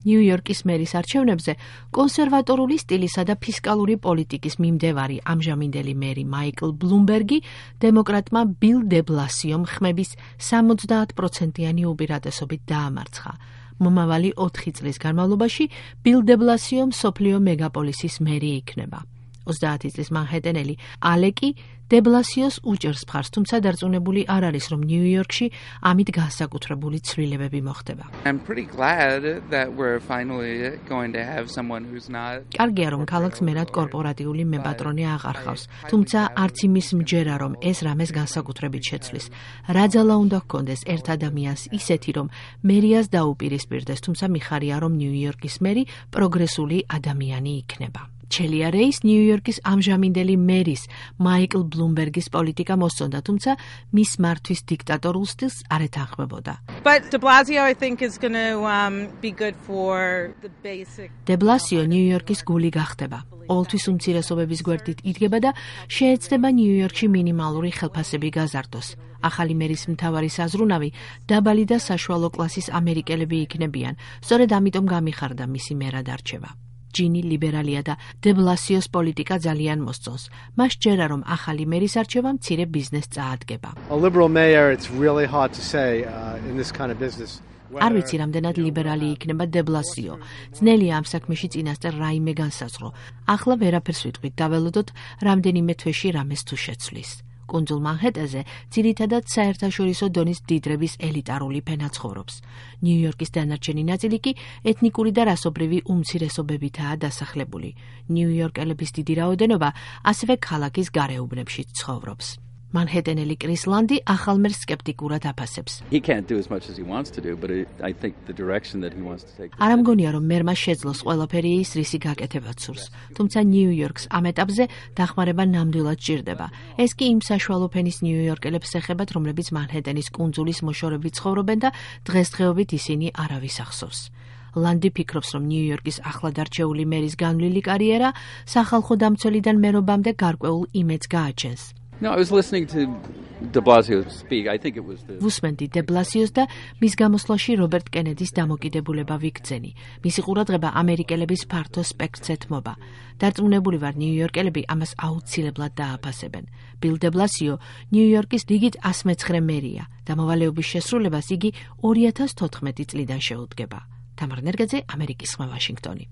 ნიუ-იორკის მერის არჩევნებზე კონსერვატორული სტილისა და ფისკალური პოლიტიკის მიმდევარი ამჟამინდელი მერი მაიკლ ბლუმბერგი დემოკრატმა ბილ დე ბლასიომ ხმების 70%-იანი უპირატესობით დაამარცხა. მომავალი 4 წლის განმავლობაში ბილ დე ბლასიო მსოფლიო მეგაპოლისის მერი იქნება. 30 წლის მანჰეტენელი ალეკი დე ბლასიოს უჭერს მხარს, თუმცა დარწმუნებული არ არის, რომ ნიუ-იორკში ამით განსაკუთრებული ცვლილებები მოხდება. კარგია, რომ ქალაქს მერად კორპორატიული მეპატრონე აღარ ხავს, თუმცა არც იმის მჯერა, რომ ეს რამეს განსაკუთრებით შეცვლის. რა ძალა უნდა ჰქონდეს ერთ ადამიანს ისეთი, რომ მერიას დაუპირისპირდეს, თუმცა მიხარია, რომ ნიუ-იორკის მერი პროგრესული ადამიანი იქნება. ჩელია რეის ნიუ-იორკის ამჟამინდელი მერის მაიკლ ბლუმბერგის პოლიტიკა მოსწონდა, თუმცა მის მართვის დიქტატორულ სტილს არ ეთანხმებოდა. დე ბლასიო ნიუ-იორკის გული გახდება. ყოველთვის უმცირესობების გვერდით იდგება და შეეცდება ნიუ-იორკში მინიმალური ხელფასები გაზარდოს. ახალი მერის მთავარი საზრუნავი დაბალი და საშუალო კლასის ამერიკელები იქნებიან, სწორედ ამიტომ გამიხარდა მისი მერად არჩევა. ჯინი ლიბერალია და დე ბლასიოს პოლიტიკა ძალიან მოსწონს. მას ჯერა, რომ ახალი მერის არჩევა მცირე ბიზნესს წაადგება. არ ვიცი, რამდენად ლიბერალი იქნება დე ბლასიო. ძნელია ამ საქმეში წინასწარ რაიმე განსაზღვრო. ახლა ვერაფერს ვიტყვით, დაველოდოთ რამდენიმე თვეში რამეს თუ შეცვლის. კუნძულ მანჰეტენზე ძირითადად საერთაშორისო დონის მდიდრების ელიტარული ფენა ცხოვრობს. ნიუ-იორკის დანარჩენი ნაწილი კი ეთნიკური და რასობრივი უმცირესობებითაა დასახლებული. ნიუ-იორკელების დიდი რაოდენობა ასევე ქალაქის გარეუბნებში ცხოვრობს. მანჰეტენელი კრის ლანდი ახალ მერს სკეპტიკურად აფასებს. არ ამგონია, რომ მერმა შეძლოს ყველაფერი ის, რისი გაკეთებაც სურს. თუმცა ნიუ-იორკს ამ ეტაპზე დახმარება ნამდვილად სჭირდება. ეს კი იმ საშუალო ფენის ნიუ-იორკელებს ეხებათ, რომლებიც მანჰეტენის კუნძულის მოშორებით ცხოვრობენ და დღესდღეობით ისინი არავის ახსოვს. ლანდი ფიქრობს, რომ ნიუ-იორკის ახლად არჩეული მერის განვლილი კარიერა სახალხო დამცველიდან მერობამდე გარკვეულ იმედს გააჩენს. ვუსმენდი დე ბლასიოს და მის გამოსვლაში რობერტ კენედის დამოკიდებულება ვიქცენი. მისი ყურადღება ამერიკელების ფართო სპექტრს ეთმობა. დარწმუნებული ვარ, ნიუ-იორკელები ამას აუცილებლად დააფასებენ. ბილ დე ბლასიო ნიუ-იორკის რიგით 109 მერია და მოვალეობის შესრულებას იგი 2014 წლიდან შეუდგება. თამარ ნერგაძე, ამერიკის ხმა, ვაშინგტონი.